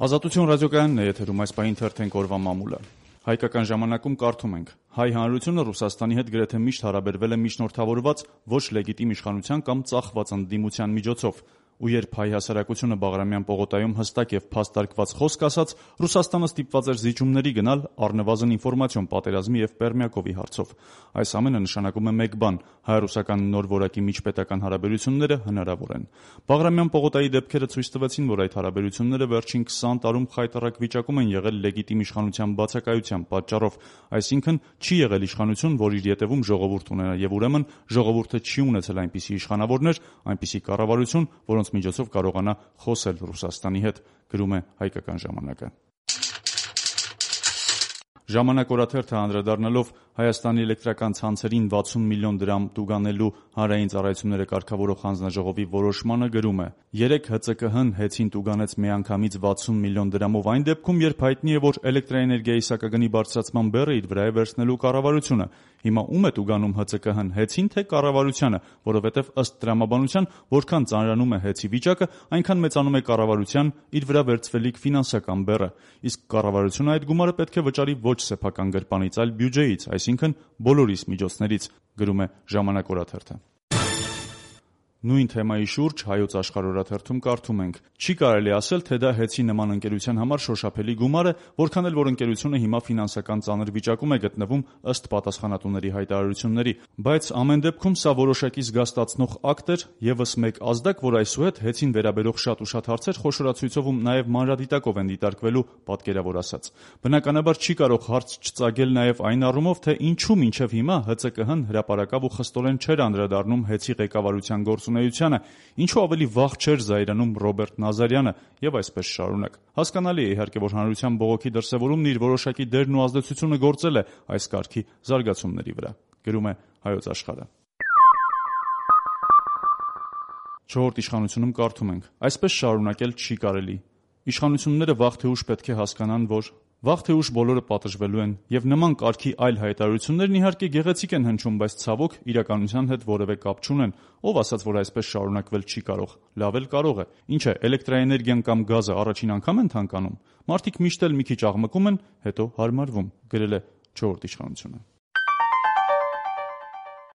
Ազատություն ռադիոկայանն է եթերում, այս պահին թերթենք օրվա մամուլը։ Հայկական ժամանակում կարդում ենք. հայ հանրությունը Ռուսաստանի հետ գրեթե միշտ հարաբերվել է միջնորդավորված, ոչ լեգիտիմ իշխանության կամ ծախված ընդդիմության միջոցով, ու երբ հայ հասարակությունը Բաղրամյան պողոտայում հստակ եւ փաստարկված խոսք ասաց, Ռուսաստանը ստիպված էր զիջումների գնալ առնվազն ինֆորմացիոն պատերազմի եւ Պերմյակովի հարցով։ Այս ամենը նշանակում է մեկ բան՝ հայ-ռուսական նոր որակի միջպետական հարաբերությունները հնարավոր են։ Բաղրամյան պողոտայի դեպքերը ցույց տվեցին, որ այդ հարաբերությունները վերջին 20 տարում խայտառակ վիճակում են եղել լեգիտիմ իշխանության բացակայության պատճառով, այսինքն չի եղել իշխանություն, որ իր ետևում ժողովուրդ ունենա, եւ ուրեմն ժողովուրդը չի ունեցել այնպիսի իշխանավորներ, այնպիսի կառավարություն, որոնց միջոցով կարողանա խոսել Ռուսաստանի հետ, գրում է Հայկական ժամանակը։ Ժամանակ օրաթերթը անդրադառնալով Հայաստանի էլեկտրական ցանցերին 60 միլիոն դրամ տուգանելու հանրային ծառայությունները կարգավորող հանձնաժողովի որոշմանը գրում է. «Երեկ ՀԾԿՀ-ն հեծին տուգանեց միանգամից 60 միլիոն դրամով այն դեպքում, երբ հայտնի է, որ էլեկտրաէներգիայի սակագնի բարձրացման բեռը իր վրա է վերցնելու կառավարությունը։ Հիմա ում է տուգանում ՀԾԿՀ-ն, հեծին թե կառավարությանը, որովհետև ըստ տրամաբանության, որքան ծանրանում է հեծի վիճակը, այնքան մեծանում է կառավարության իր վրա վերցվելիք ֆինանսական բեռը, իսկ կառավարությունը այդ գումարը պետք է վճարի ոչ սեփական գրպանից, այլ բյուջեից, այսինքն բոլորիս միջոցներից», գրում է Ժամանակ օրաթերթը։ Նույն թեմայի շուրջ Հայոց Աշխարհ օրաթերթում կարդում ենք. «Չի կարելի ասել, թե դա հեծի նման ընկերության համար շոշափելի գումար է, որքան էլ որ ընկերությունը հիմա ֆինանսական ծանր վիճակում է գտնվում ըստ պատասխանատուների հայտարարությունների, բայց ամեն դեպքում սա որոշակի զգաստացնող ակտ էր, եւս մեկ ազդակ, որ այսուհետ հեծին վերաբերող շատ ու շատ հարցեր խոշորացույցով ու նաեւ մանրադիտակով են դիտարկվելու», պատկերավոր ասաց։ Բնականաբար չի կարող հարց չծագել նաեւ այն առումով, թե ինչու մինչեւ հիմա ՀԾԿՀ-ն հրապարակավ ու խստորեն չէր անդրադառնում հեծի ղեկավարության գործունեությանը, ինչու ավելի վաղ չէր զայրանում Ռոբերտ Նազարյանը եւ այսպես շարունակ։ Հասկանալի է իհարկե, որ հանրության բողոքի դրսեւորումն իր որոշակի դերն ու ազդեցությունը գործել է այս կարգի զարգացումների վրա, գրում է Հայոց Աշխարհը։ Չորրորդ իշխանությունում կարդում ենք. «Այսպես շարունակել չի կարելի։ Իշխանությունները վաղ թե ուշ պետք է հասկանան, որ վաղ թե ուշ բոլորը պատժվելու են, եւ նման կարգի այլ հայտարարություններն իհարկե գեղեցիկ են հնչում, բայց ցավոք իրականության հետ որևէ կապ չունեն։ Ով ասաց, որ այսպես շարունակվել չի կարող։ Լավ էլ կարող է։ Ինչ է, էլեկտրաէներգիան կամ գազը առաջին անգամ են թանկանում։ Մարդիկ միշտ էլ մի քիչ աղմկում են, հետո հարմարվում», գրել է չորրորդ իշխանությունը։